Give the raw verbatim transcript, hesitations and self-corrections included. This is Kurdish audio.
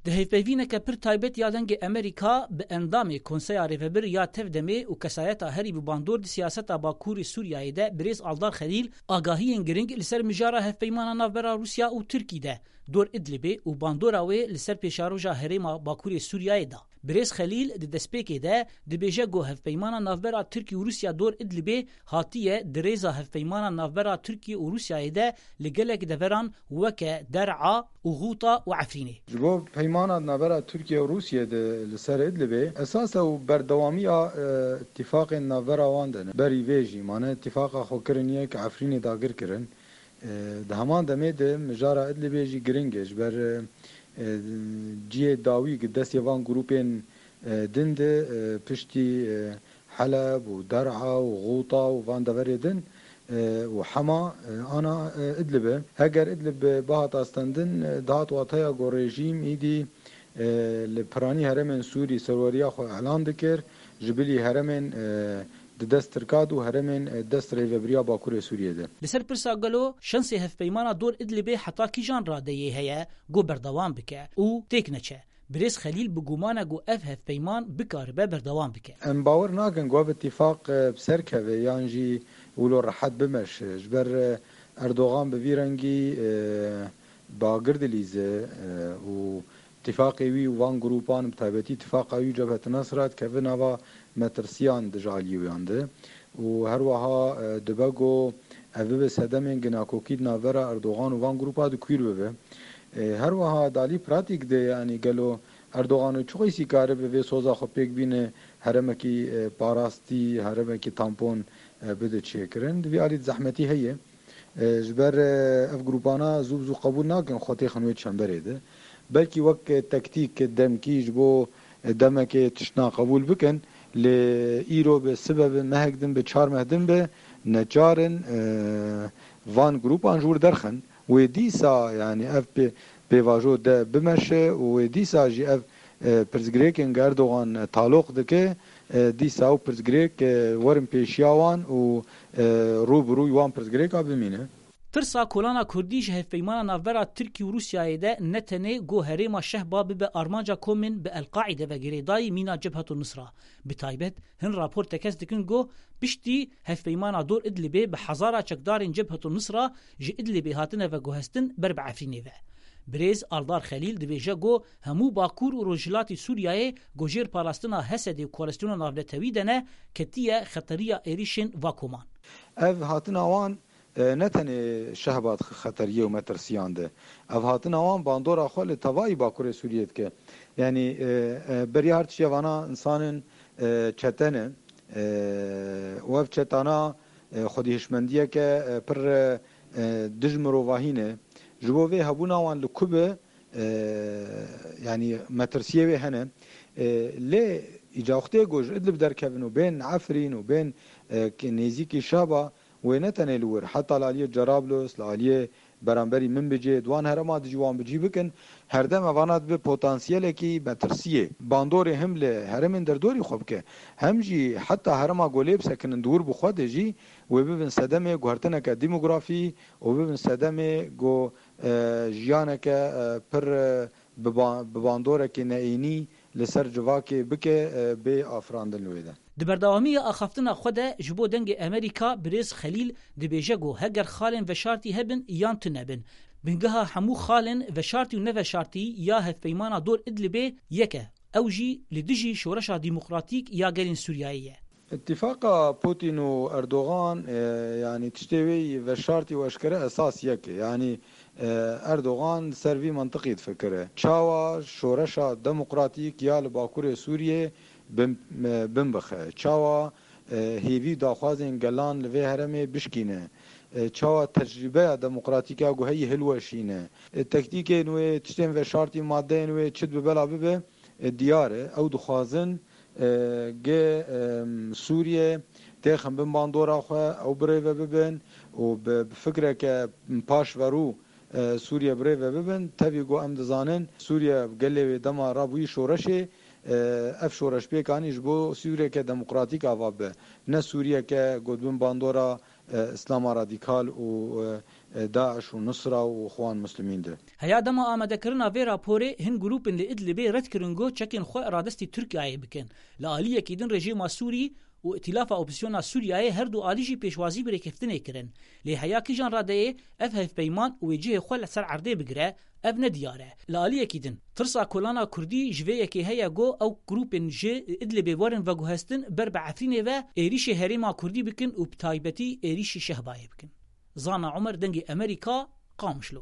Di hevpeyvîneke pir taybet ya Dengê Amerîka bi endamê Konseya Rêvebir ya Tevdemê û kesayeta herî bi bandor di siyaseta Bakurê Sûriyeyê de birêz Aldar Xelîl agahiyên giring li ser mijara hevpeymana navbera Rûsya û Tirkî de dor Idlibê û bandora wê li ser pêşaroja herêma Bakurê Sûriyeyê da. Birêz Xelîl di destpêkê de dibêje ku hevpeymana navbera Tirkî û Rûsya dor Idlibê hatiye di rêza hevpeymana navbera Tirkî û Rûsyayê de li gelek deveran weke Der'a û Xûta û Efrînê. Ji bo peymana navbera Tirkiye û Rûsiyê de li ser Idlibê esas e û berdewamiya, e, îtîfaqên navbera wan de ne. Berî vê jî mane îtîfaqa xwe kirin yek Efrînê dagir kirin. E, di heman demê de mijara Idlibê jî giring e, ji ber, e, e, cihê dawî di destê van grûpên, e, din de, e, piştî, e, Heleb û Der'a û Xûta û van deverê din, e, û Hema, e, ana, e, Idlib e. Heger Idlib bihata stendin, e, dihat wateya ku rejîm îdî, e, li piranî herêmên Sûrî serweriya xwe îlan dikir, ji bilî herêmên, e, di dest Tirka de û herêmên, e, dest rêvebiriya Bakurê Sûriyê de. Li ser pirsa gelo şensê hevpeymana dor Idlibê heta kîjan radeyê heye ku berdewam bike û têk neçe? Birêz Xelîl bi guman e ku ev hevpeyman bikaribe berdewam bike. Em bawer nakin ku ev îtîfaq, e, bi ser keve yan jî wilo rehet bimeşe. Ji ber, e, Erdogan bi vî rengî, e, bagir dilîze, e, û îtîfaqê wî û van grûpan, bi taybetî îtîfaqa wî û Cebhet Nesra dikeve nava metirsiyan di ji aliyê wiyan de. Û her wiha, e, dibe ku ev bibe sedemên ginakokî di navbera Erdogan û van grûpa de kûr bibe. E, her wiha di alî pratîk de, yanî gelo Erdogan û çi qeysî karibe vê soza xwe pêk bîne herêmekî, e, parastî, herêmekî tampon, e, bide çêkirin? Di vî alî de zehmetî heye. E, ji ber, e, ev grûpana zû bi zû qebûl nakin xwe têxin wê çemberê de. Belkî wek, e, tektîk, demkî ji bo, e, demekê tiştna qebûl bikin, lê îro bi sibe bi mehek din bi çar meh din bi neçar in, e, van grûpan ji wir derxin. Wê dîsa, yanî ev pê-, pêvajo de bimeşe û wê dîsa jî ev, e, pirsgirêkên ku Erdogan, e, taloq dike, e, dîsa ew pirsgirêk, e, werin pêşiya wan û, e, rû bi rûyî wan pirsgirêka bimîne. Tirsa kolana Kurdî ji hevpeymana navbera Tirkî û Rûsyayê de ne tenê ku herêma Şehba bibe armanca komên bi El-Qaîde ve girêdayî mîna Cebhetu Nusra. Bi taybet hin rapor tekez dikin ku piştî hevpeymana dor Idlibê bi hezara çekdarên Cebhetu Nusra ji Idlibê hatine veguhestin ber bi Efrînê ve. Birêz Aldar Xelîl dibêje ku hemû Bakur û Rojhilatî Sûriyeyê ku jêr parastina Hesedê û Koalîsyona Navnetewî de ne, ketiye xeteriya êrîşên va koman. Ev hatina wan, e, ne tenê Şehba di xeteriyê û metirsiyan de. Ev hatina wan bandora xwe li tevayî Bakurê Sûriyê dike. Yanî, e, e, beriya her tiştê vana insanên, e, çete ne. E, û ev çetana, e, xwedî hişmendiyeke, e, pir, e, e, dij mirovahî ne. Ji bo vê hebûna wan li ku be, e, yanî metirsiyê wê hene. E, lê îca wextê ku ji Idlib derkevin û bên Efrîn û bên, e, ki nêzîkî Şehba, wê ne tenê li wir, heta li aliyê Cerablus, li aliyê beramberî Minbicê, di wan herêma de jî wan bi cî bikin, herdem evana dibe potansiyelekî metirsiyê. Bandorê him li herêmên derdorî xwe bike, hem jî heta herêma ku lê bisekinin di wir bi xwe de jî, wê bibin sedemê guhertineke demografî û bibin sedemê ku, e, jiyaneke, e, pir, e, bi ba-, bi bandorekê neênî li ser civakê bike, e, bê afirandin li wê de. Di berdewamiya axaftina xwe de ji bo Dengê Amerîka birêz Xelîl dibêje ku heger xalên veşartî hebin yan tune bin, bingeha hemû xalên veşartî û neveşartî ya hevpeymana dor Idlibê yek e. Ew jî li dijî şoreşa demokratîk ya gelên Sûriyeyê ye. Îtîfaqa Putin û Erdogan, e, yanî tiştê wê yî veşartî û eşkere esas yek e. Yanî, e, Erdogan li ser vî mintiqî difikire. Çawa şoreşa demokratîk ya li Bakurê Sûriyê bin, e, bin bixe? Çawa, e, hêvî daxwazên gelan li vê herêmê bişkîne? E, çawa tecrîbeya demokratîk ya ku heyî hilweşîne? E, tektîkên wê, tiştên veşartî, maddeyên wê çi dibe bela bibe, e, diyar e. Ew dixwazin, e, ge, e, Sûriye têxin bin bandora xwe, ew birêve bibin û bi, bi fikreke paşverû, e, Sûriye birêve bibin. Tevî ku em dizanin Sûriye gelê wê dema rabûyî şoreşê, e, ev şoreş pêk anî ji bo Sûriyeke demokratîk ava bibe. Ne Sûriyeke ku di bin bandora, e, Îslama radîkal û, e, e, DAIŞ û Nusra û Xwan Muslimîn de. Heya dema amadekirina vê raporê, hin grûpên li Idlibê red kirin ku çekên xwe radestî Tirkiyeyê bikin. Li aliyekî din rejîma Sûrî û Îtîlafa Opozîsyona Sûriyeyê her du alî jî pêşwazî bi rêkeftinê kirin. Lê heya kîjan radeyê ev hevpeyman û wê cihê xwe li ser erdê bigire, ev ne diyar e. Li aliyekî din, tirsa kolana Kurdî ji vê yekê heye ku ew grûpên ji Idlibê werin veguhestin ber bi Efrînê ve êrîşê herêma Kurdî bikin û bi taybetî êrîşî Şehbayê bikin. Zana Omer, Dengê Emerîka, Qamişlo.